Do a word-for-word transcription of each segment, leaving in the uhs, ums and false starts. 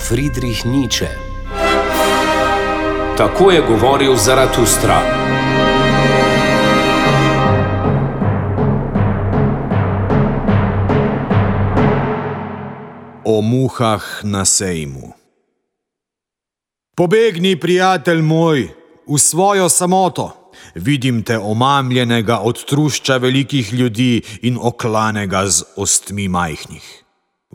Friedrich Nietzsche. Tako je govoril Zaratustra. O muhah na sejmu. Pobegni, prijatelj moj, v svojo samoto. Vidim te omamljenega od trušča velikih ljudi in oklanega z ostmi majhnih.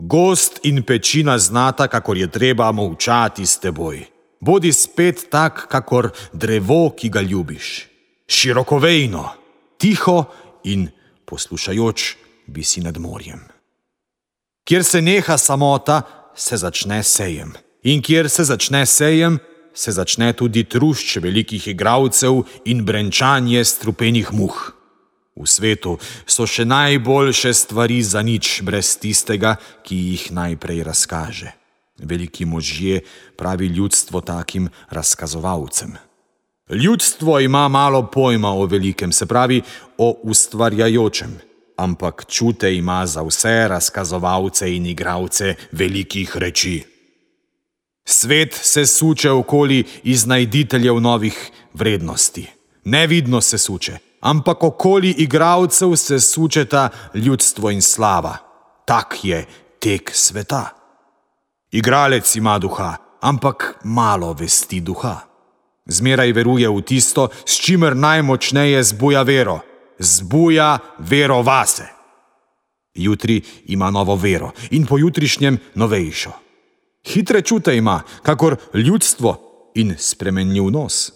Gost in pečina znata, kakor je treba molčati s teboj. Bodi spet tak, kakor drevo, ki ga ljubiš. Širokovejno, tiho in poslušajoč bi si nad morjem. Kjer se neha samota, se začne sejem. In kjer se začne sejem, se začne tudi trušč velikih igralcev in brenčanje strupenih muh. V svetu so še najboljše stvari za nič brez tistega, ki jih najprej razkaže. Veliki možje pravi ljudstvo takim razkazovalcem. Ljudstvo ima malo pojma o velikem, se pravi o ustvarjajočem, ampak čute ima za vse razkazovalce in igralce velikih reči. Svet se suče okoli iznajditeljev novih vrednosti. Nevidno se suče, ampak okoli igralcev se sučeta ljudstvo in slava. Tak je tek sveta. Igralec ima duha, ampak malo vesti duha. Zmeraj veruje v tisto, s čimer najmočneje zbuja vero. Zbuja vero vase. Jutri ima novo vero in pojutrišnjem novejšo. Hitre čute ima, kakor ljudstvo, in spremenljiv nos.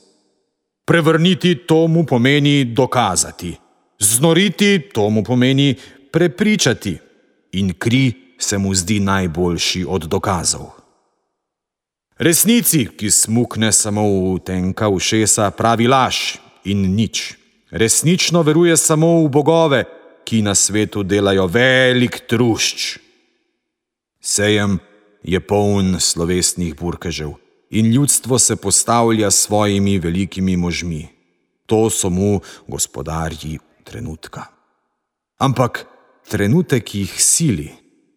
Prevrniti to mu pomeni dokazati. Znoriti to mu pomeni prepričati. In kri se mu zdi najboljši od dokazov. Resnici, ki smukne samo v tenka ušesa, pravi laž in nič. Resnično veruje samo v bogove, ki na svetu delajo velik trušč. Sejem je poln slovesnih burkežev in ljudstvo se postavlja s svojimi velikimi možmi. To so mu gospodarji trenutka. Ampak trenutek jih sili,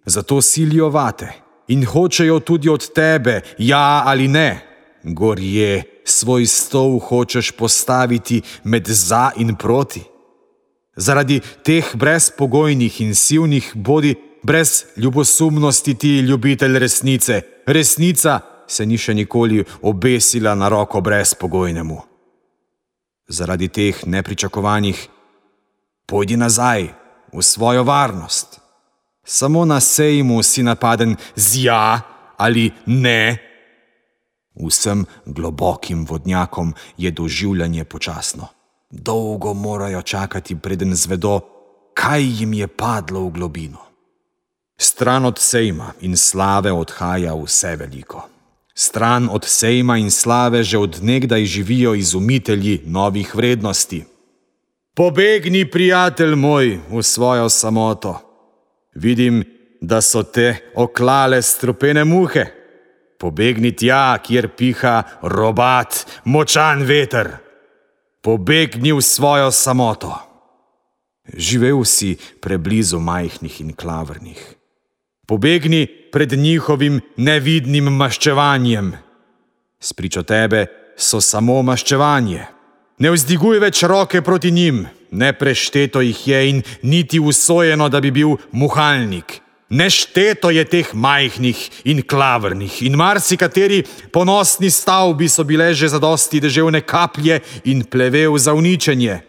zato silijo vate in hočejo tudi od tebe, ja ali ne. Gorje, svoj stol hočeš postaviti med za in proti. Zaradi teh brezpogojnih in silnih bodi brez ljubosumnosti ti, ljubitelj resnice. Resnica se ni še nikoli obesila na roko brezpogojnemu. Zaradi teh nepričakovanih pojdi nazaj v svojo varnost. Samo na sejmu si napaden z ja ali ne. Vsem globokim vodnjakom je doživljanje počasno. Dolgo morajo čakati, preden zvedo, kaj jim je padlo v globino. Stran od sejma in slave odhaja vse veliko. Stran od sejma in slave že od nekdaj živijo izumitelji novih vrednosti. Pobegni, prijatelj moj, v svojo samoto. Vidim, da so te oklale strupene muhe. Pobegni tja, kjer piha robat, močan veter. Pobegni v svojo samoto. Živel si preblizu majhnih in klavrnih. Pobegni pred njihovim nevidnim maščevanjem. Spričo tebe so samo maščevanje. Ne vzdiguj več roke proti njim, neprešteto jih je in niti usojeno, da bi bil muhalnik. Nešteto je teh majhnih in klavrnih in marsikateri ponosni stavbi so bile že zadosti deževne kaplje in plevel za uničenje.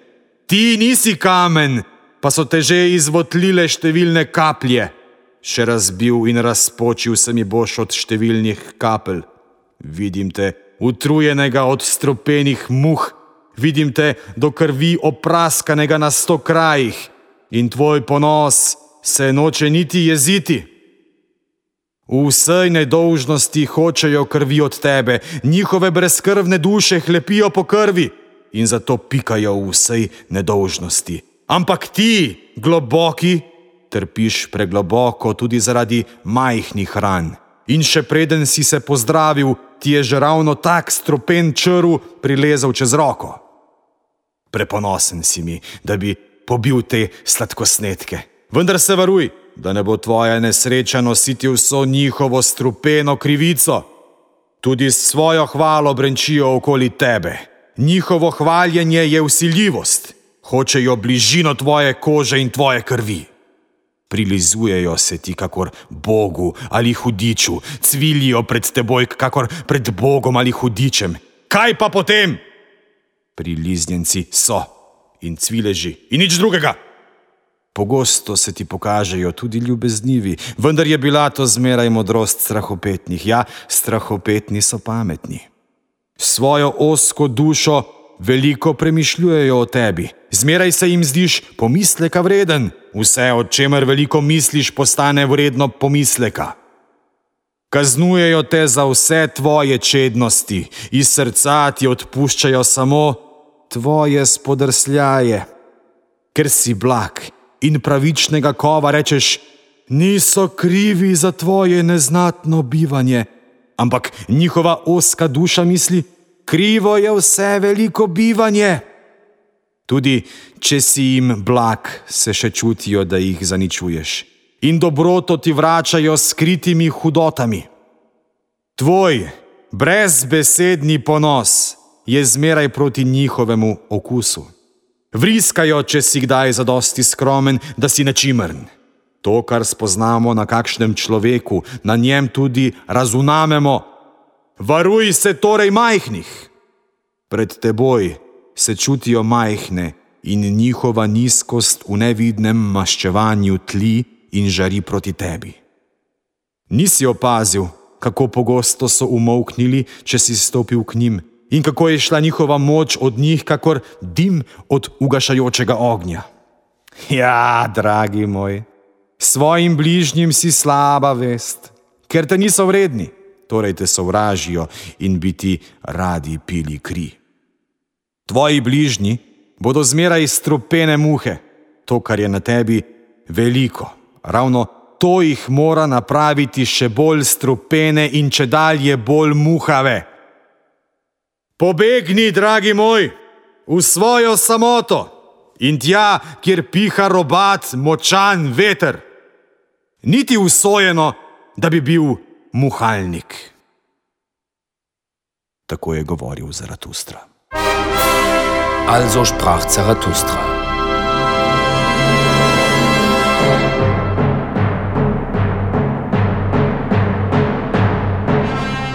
Ti nisi kamen, pa so te že izvotlile številne kaplje. Še razbil in razpočil se mi boš od številnih kapelj. Vidim te utrujenega od strupenih muh, vidim te do krvi opraskanega na sto krajih in tvoj ponos se noče niti jeziti. V vsej nedolžnosti hočejo krvi od tebe, njihove brezkrvne duše hlepijo po krvi in zato pikajo v vsej nedolžnosti. Ampak ti, globoki, trpiš pregloboko tudi zaradi majhnih ran. In še preden si se pozdravil, ti je že ravno tak strupen črv prilezel čez roko. Preponosen si mi, da bi pobil te sladkosnetke. Vendar se varuj, da ne bo tvoja nesreča nositi vso njihovo strupeno krivico. Tudi svojo hvalo brenčijo okoli tebe. Njihovo hvaljenje je vsiljivost. Hočejo bližino tvoje kože in tvoje krvi. Prilizujejo se ti kakor Bogu ali hudiču, cvilijo pred teboj kakor pred Bogom ali hudičem. Kaj pa potem? Priliznjenci so in cvileži in nič drugega. Pogosto se ti pokažejo tudi ljubeznivi, vendar je bila to zmeraj modrost strahopetnih. Ja, strahopetni so pametni. Svojo ozko dušo veliko premišljujejo o tebi. Zmeraj se jim zdiš pomisleka vreden. Vse, o čemer veliko misliš, postane vredno pomisleka. Kaznujejo te za vse tvoje čednosti, iz srca ti odpuščajo samo tvoje spodrsljaje. Ker si blag in pravičnega kova rečeš, niso krivi za tvoje neznatno bivanje, ampak njihova ozka duša misli, krivo je vse veliko bivanje. Tudi, če si jim blag, se še čutijo, da jih zaničuješ. In dobroto ti vračajo s skritimi hudotami. Tvoj brezbesedni ponos je zmeraj proti njihovemu okusu. Vriskajo, če si kdaj zadosti skromen, da si nečimrn. To, kar spoznamo na kakšnem človeku, na njem tudi razumemo. Varuj se torej majhnih. Pred teboj se čutijo majhne in njihova nizkost v nevidnem maščevanju tli in žari proti tebi. Nisi opazil, kako pogosto so umolknili, če si stopil k njim, in kako je šla njihova moč od njih, kakor dim od ugašajočega ognja. Ja, dragi moj, svojim bližnjim si slaba vest, ker te niso vredni, torej te sovražijo in bi ti radi pili kri. Tvoji bližnji bodo zmeraj strupene muhe, to, kar je na tebi, veliko. Ravno to jih mora napraviti še bolj strupene in čedalje bolj muhave. Pobegni, dragi moj, v svojo samoto in tja, kjer piha robat, močan veter. Niti usojeno, da bi bil muhalnik. Tako je govoril Zaratustra. Also sprach Zarathustra.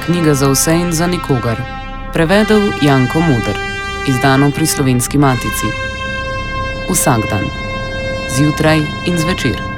Knjiga za vse in za nikogar. Prevedel Janko Muder. Izdano pri Slovenski matici. Vsak dan. Zjutraj in zvečer.